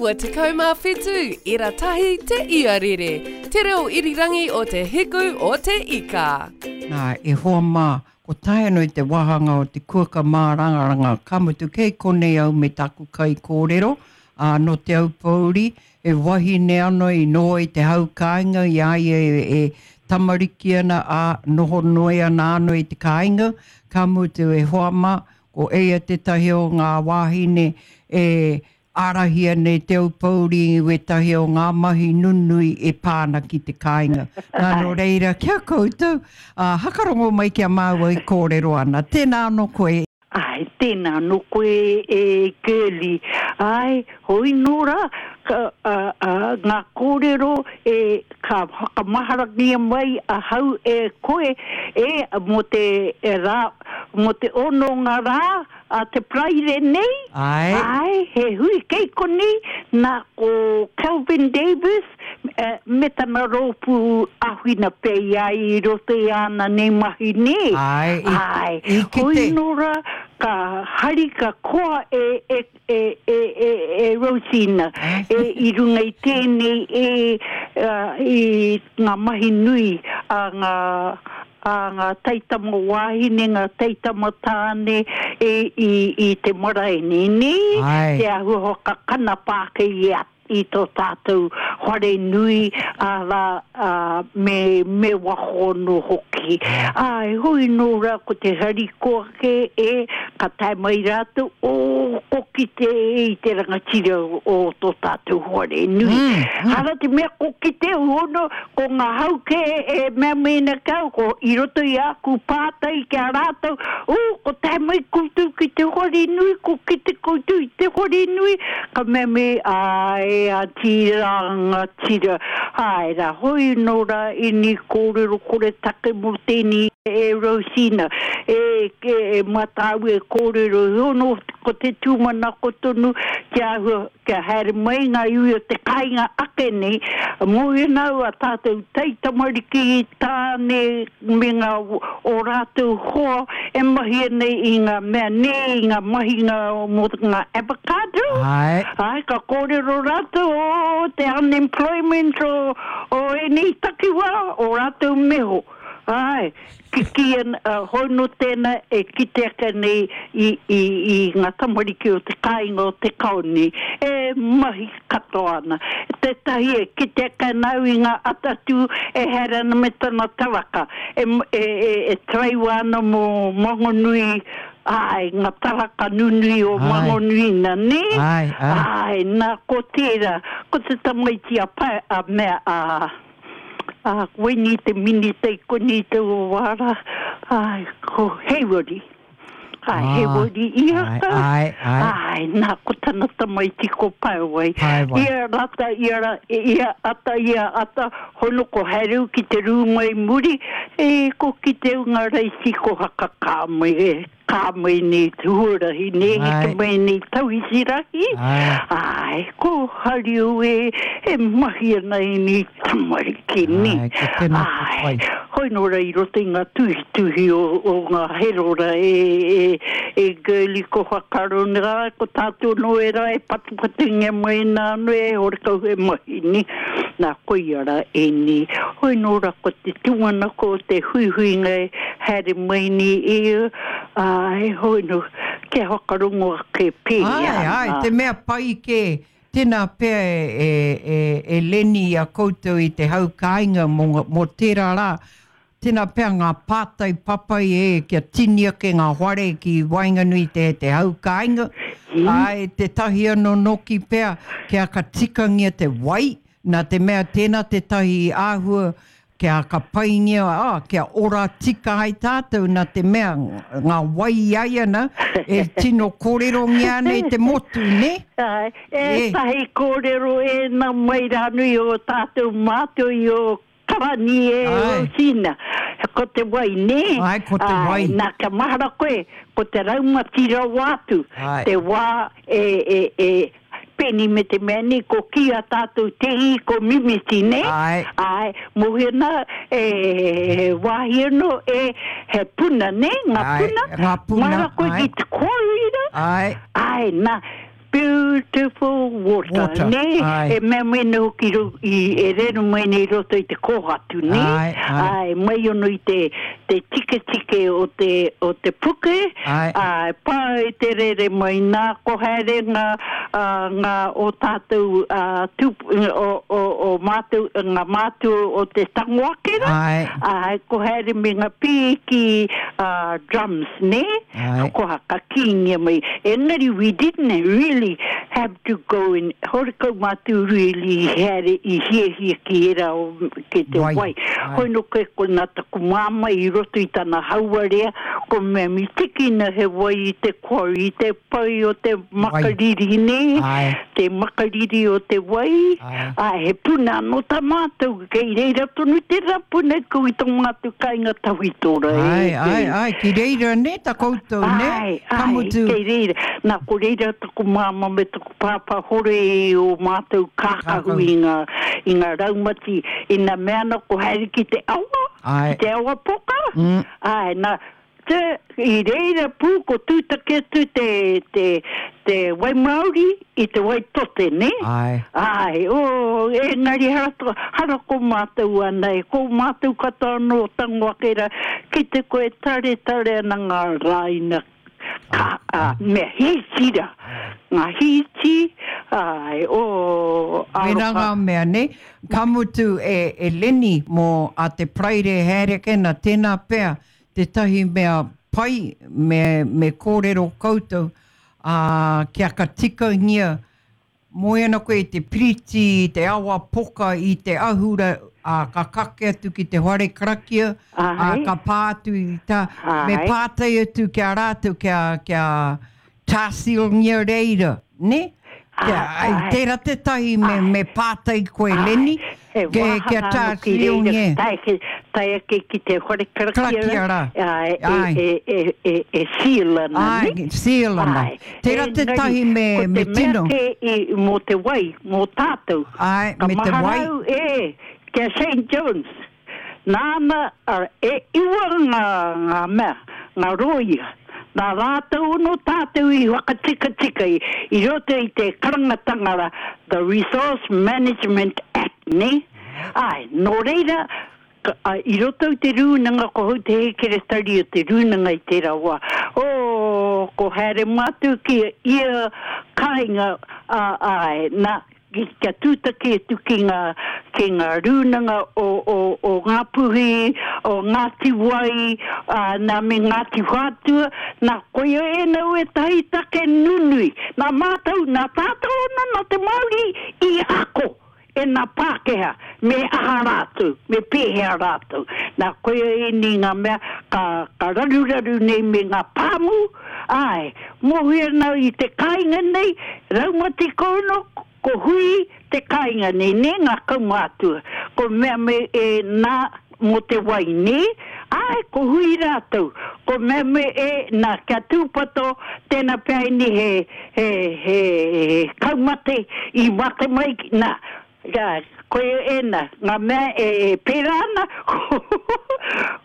97 ira tahi te iarere, te reo irirangi o te hiku o te ika. Nā, e hoa mā, ko tae anō i te wāhanga o te kuaka mārangaranga, ka mutu kei konei au me taku kaikōrero, ā, nō Te Aupōuri, he wahine anō i noho i te hau kāinga i a ia e tamariki ana, ā, noho noe ana anō i te kāinga, ka mutu e hoa mā, Ko eia tētahi o ngā wāhine e ārahia nei Te Aupōuri i wētahi o ngā mahi nunui e pā ana ki te kāinga. Nā, nō reira, ki a koutou, ā, hakarongo mai ki a māua e kōrero ana. Tēnā anō koe. Āe, tēnā anō koe e Girlie. Āe, hoi nō rā, ka, ā, ā, ngā kōrero e, ka whakamaharangia mai ahau e koe, e, mō te rā, Mō te ononga rā a te Paraire nei, Āe. āe, he hui kei konei, nā ko Kelvin Davis me tana rōpū āwhina pea i a ia i roto i āna nei mahi nē. Āe, i, Āe, i kite. hoi nō rā, ka hari, ka koa e, e, e, e, e, e Rosina, e, i runga i tēnei e, i ngā mahi nui a ngā, a ngā taitama wāhine, ngā taitama tāne e, i, i te marae nei, nē? Āe. Te āhua whakakanapa ake i a i tō tātou whare nui, arā, ā, me, me waho anō hoki. Āe, hoi nō rā ko te harikoa kē, e, ka tae mai rātou, ō, ko kite e i te rangatira o tō tātou whare nui. Hara te mea ko kite hono, ko ngā hau kē e mea mai ana ki au, ko i roto i āku pātai ki a rātou, ū, ko tae mai koutou ki te whare nui, ko kite koutou i te whare nui, ka mea mai, āe, Aunty Rangatira, āe rā, hoi nō rā ini kōrero koretake mō tēnei e Rosina, e, e, e mā tāu e kōrero, hono ko te tūmanako tonu kia āhua Kia haere mai ngā iwi o te kāinga ake nei, mōhio ana au a tātou taitamariki, tāne me ngā o rātou hoa e mahi ana i ngā mea nē, i ngā mahinga mō ngā avocado. Āe. Āe, ka kōrero rātou o te unemployment o, o ēnei takiwā, o rātou meho. Āe. Kikī ana, hoi nō tēnā e kite ake nei i, i, i ngā tamariki o te kāinga o Te Kaoni e mahi katoa ana. Tētahi e kite ake ana au i ngā atatū e haere ana me tana taraka, e, e, e, e taraiwa ana mō Mangonui, āe, ngā taraka nunui o Mangonui na, nē? Āe, āe. Āe, nā, ko tērā, ko te tamaiti a Pae, a mea, a. Ā, koinei te minita i konei taua wā rā, āe, ko Hayward. Āe, Hayward ia ka. Āe, āe. Āe, nā, ko tana tamaiti ko Paewai. Paewai. Ia rata, ia ra, ia ata, ia ata, hono ko Haereu ki te rūma i muri, e, ko kite au ngā raiti ko hakakā mai e. Ka mai nei te huarahi, nē, heke mai nei tauihi rahi. Āe, ko Hariu e, e mahi ana ēnei tamariki, nē. Āe, ko tēnā te pai. Āe, hoi nō rā i roto i ngā tuhituhi o, o ngā herora e, e, e Girlie ko whakaaro nei, āe, ko tātou anō e rā e patupatungia mai nā anō e horekau he mahi, nē. Nā, koia rā ēnei. Hoi nō rā ko te tūmanako o te huihuinga e haere mai nei ia, ā, heoi nō, kia whakarongo ake pēhea Āe, ana. āe, te mea pai kē, tēnā pea e, e, e, e Lenny i a koutou i te hau kāinga mō, mō tērā rā, tēnā pea ngā pātai papai e, kia tini ake ngā whare ki waenganui i te, te hau kāinga, āe, tētahi anō nōki pea, kia ka tikangia te wai, Nā te mea tēnā tētahi āhua kia ka paingia, ā, kia ora tika ai tātou nā te mea ngā wai i ai ana e tino kōrerongia ana e te motu, nē? Āe, ētahi kōrero ēnā mai rānui o tātou mātou i o Karani e Rosina, ko te wai, nē? Āe, ko te wai. Āe, nā, kia mahara koe, ko te raumati rawa atu, te wā e, e, e, Peni me te mea nei, ko ki a tātou te i, ko mimiti, nē? Āe. Āe, mōhio nā, e, he wāhi anō, e, he puna, nē, ngā puna. Āe, ngā puna, Mahara koe āe. ki te kōira. Āe. Āe, nā. Beautiful water, Water, nē? āe. E mea mai nei hoki ro, i, e rere mai nei i roto i te kōhatu, nē? Āe, āe. Āe, mai ono i te, te tiketike o te, o te puke, Āe. āe, pai te rere mai nā, ko haere ngā, ā, ngā o tātou, ā, tūp, o, o, o mātou, ngā mātua o te tango ake rā, Āe. āe, ko haere me ngā pīki, ā, drums, nē? Āe. Ko haka kīngia mai. Engari we didn't really have to go in, horekau mātou really haere i hiahia ki ērā o, ki te Wai. wai. Āe. Hoi no koe ko nā taku māmā i roto i tana hauarea, ko mea mi tikina he wai i te quarry, i te pai o te makariri, nē? Āe. Te makariri o te wai. Āe. Āe, he puna anō tā mātou, kei reira tonu tērā puna ko i tō mātou kāinga tawhito rā, e, Āe, e. āe, āe, ki reira nē ta koutou, nē? Āe, Ka āe, mutu. kei reira. Nā, ko reira taku māmā me taku pāpā hore i o mātou kākahu Kākahu. i ngā, i ngā raumati, ina mea ana ko haere ki te awa, Āe. ki te awa poka. Mm. Āe, nā, te, i reira pū ko tūtaki atu te, te, te wai Māori i te wai tote, nē? Āe. Āe, oh, engari hara, hara ko mātou ana e, ko mātou katoa anō tango ake rā, ki te koe tare tare ana ngā rāina, ka, a, mea hīti rā, ngā hīti, āe, oh, Wera aroha. ngā mea, ne? Ka mutu e, e Lenny mō a te Paraire haere ake nā tēnā pea tētahi mea pai me, me kōrero koutou ā, kia ka tikangia moe ana koe i te piriti, i te awa poka, i te ahura, ā, ka kake atu ki te whare karakia, ā, Āe. ka pā atu i tā, me Āe. pātai atu ki a rātou, kia, kia tāsilngia reira, ne? Kia, Āe, ai, āe. tērā tētahi me, me pātai koe, Lenny, He ke, kia wāhanga anō ki reira, tāsilngia. tae ake, tae ake ki te whare karakia Karakia rā. Āe, e, Āe. e, e, e, e seal ana, Āe, ne? seal ana. Āe. Tērā Engari, tētahi me, ko te me mea tino. kē i, mō te wai, mō tātou. Āe, Ka me te wai. maharau, e, kia St. John's. Nāna, e iwa ngā, ngā mea, ngā rōia. Nā rātou anō tātou i whakatikatika i, i roto i te karangatanga rā, the Resource Management Act, ne? Āe, nō reira, ka, a, i roto i te rūnanga, ko hau te hekeretari o te rūnanga i tērā wā. O, ko haere mātou ki ia kāinga, a, āe, nā, ki, kia tūtaki atu ki ngā, ki ngā rūnanga o, o, o Ngāpuhi, o Ngāti Wai, ā, nā me Ngāti Whātua, nā koia e nau e tahi take nunui. Nā mātou, nā tātou ana, nā te Māori i ako e nā Pākehā, me aha rātou, me pēhea rātou. Nā koia e ni ngā mea ka, ka raruraru nei me ngā pāmu, āe, mōhio nau i te kāinga nei, raumati kono, ko hui te kāinga nei, nē ngā kaumātua. Ko mea me e nā mō te wai, nē? Āe, ko hui rātou. Ko mea me e nā kia tūpato, tēnā pea ini he, he, he, he kaumate i mate mai, nā, Jā, koe ēnā, ngā mea e, e pērā ana, ko,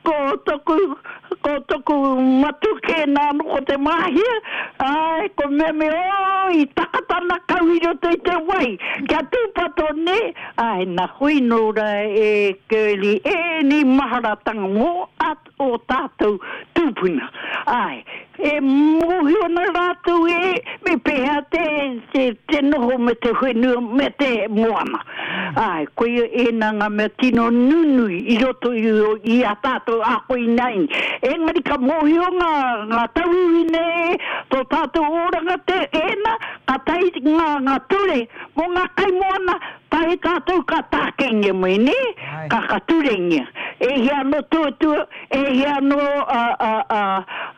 ko toku, ko toku matu kē nā anō ko te māhia, āe, ko mea me, o, i takatana kau i roto i te wai, kia tūpato nē, āe, nā hui nō rā e Girlie, e ni maharatanga mō at o tātou tūpuna. Āe, e mōhio ana rātou e, me pēhea te, te, te noho me te whenua, me te moana. Āe, koia ēnā ngā mea tino nunui i roto i, i a tātou ako i nei. Engari ka mōhio ngā, ngā tauiwi nei, tō tātou oranga te ēnā, ka tahi ngā, ngā ture mō ngā kaimoana, tahi tātou ka tākengia mai, nē? Āe. Ka, ka turengia. E hia anō tuatua, e hia anō a, a, a,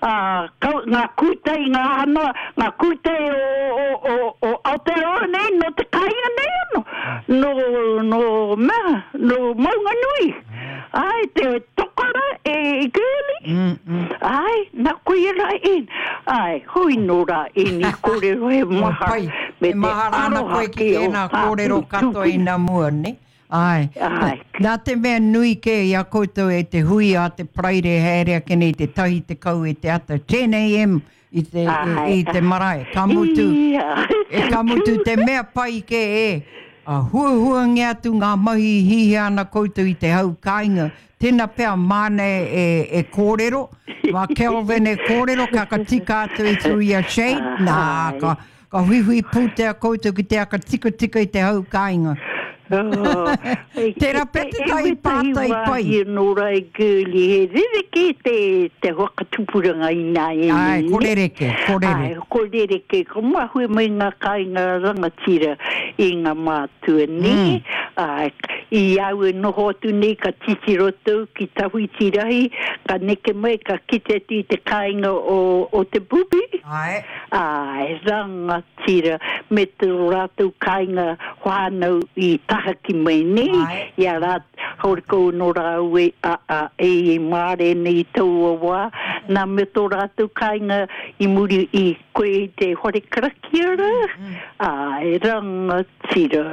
a, kau, ngā kūtai, ngā anō, ngā kūtai o, o, o, o Aotearoa nei, no te kāinga nei anō. No, no mea, no Maunganui. Ai, te tokara e i Girlie. Mm, mm. Ai, nā koia rā en. Ai, hui nō rā ēni kōrero he O, maha. pai, Me e te mahara ana aroha koe ki ki o tēnā kōrero tātou katoa i tūpuna. nā mua, ne? Ai. Ai. Nā te mea nui kē i a koutou e te hui a te Paraire haere ake nei te 10 e te ata 10 a.m. i te, i, i te marae. Ka mutu, e ka mutu te mea pai kē e, a huahuangia atu ngā mahi i hihia ana koutou i te hau kāinga, tēnā pea māna e, e, e kōrero, mā Kelvin e kōrero, ka ka tika atu i through your shade, nā, ka, ka huihui pūtea koutou ki te aka tikatika i te hau kāinga. Oh, Tērā pea tētahi pātai pai. E wetahi wāhi anō rā e Girlie, he rerekē te, te whakatupuranga ināianei. Āe, ko rereke, ko rereke. Āe, ko rereke, ko mahue mai ngā kāinga rangatira i ngā mātua, nē? Mm. Āe, i au e noho atu nei ka titiro tou ki Tawhiti Rahi, ka neke mai ka kite atu i te kāinga o, o Te Bubi. Āe. Āe, rangatira. Tira, me tō rātou kāinga whānau i tahaki mai nei, i a rā, horekau anō rāua e, a, a, e i mārena i taua wā, nā, me tō rātou kāinga i muri i koe i te whare karakia rā, āe, rangatira.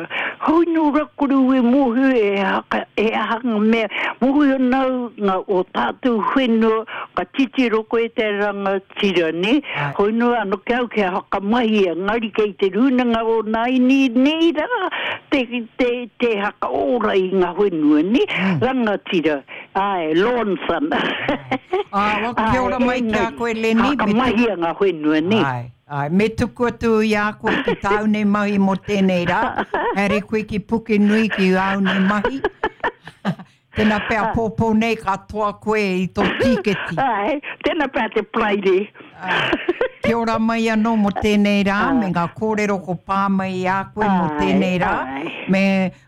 Hoi nō rā koroua e mōhio e haka, e aha ngā mea, mōhio ana au ngā o tātou whenua, ka titiro koe te rangatira. Tira, nē? Hoi noa anō ki au kia whakamahia, engari kei te rūnanga o nāini nei rā te, te, te hakaora i ngā whenua, nē? Mm. Rangatira, āe, Lawson. Ā, wa, kia ora mai ki a koe, Lenny. Whakamahia ngā whenua, nē? Āe, āe, me tuku atu i a koe ki tāu nei mahi mō tēnei rā. Haere koe ki Pukenui ki āu nei mahi. Tena pea pōpō nei ka toa koe i tō tīketi. Āe, tena pea te Paraire. Kia ora mai anō mō tēnei rā, me ngā kōrero ko pā mai i a koe mō tēnei rā, me,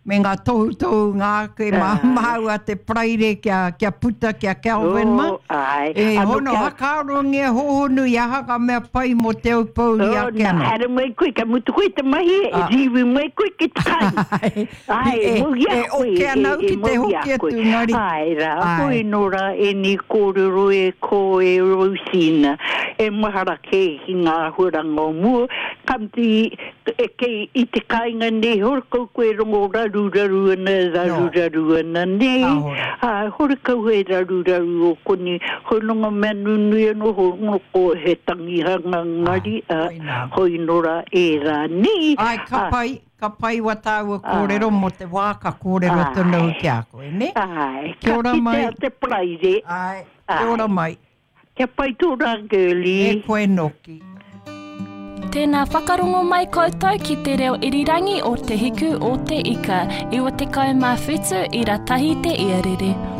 me ngā tohutohu ngā ake mā māua te Paraire kia, kia puta ki a Kelvin mā. Oh, āe. E hono hakaarongia hōhonu i aha ngā mea pai mō Te Aupōuri ake anō. Oh, nā, haere mai koe, kia mutu koe te mahi, e rīwi mai koe ki te kai. Ai, e, mau i a e koe, oke ana au e, ki e te mau i a hoki koe. atu, engari. Ai rā, Ai. koe nō rā ēnei kōrero e ko e Rosina, e mahara kē ki ngā āhuaranga o mua, ka mutu i, e kei i te kāinga nei horekau koe rongo raruraru ana, raruraru ana, nē? Kāore. Ā, horekau he raruraru o konei, hoi nō ngā mea nunui anō, hoi nō ko he tangihanga ngari, ā, koinā. hoi nō rā ērā, nē? Ai, ka Ā, pai, Ka pai wa tāua kōrero mō te wā ka kōrero tonu au ki a koe, nē? Āe, Kia ka ora mai. kitea te Paraire. Āe, kia ora mai. Kia pai tō rā, girlie. E koe noki. Tēnā whakarongo mai koutou ki te reo irirangi o Te Hiku o Te Ika, 97 ira tahi te iarere.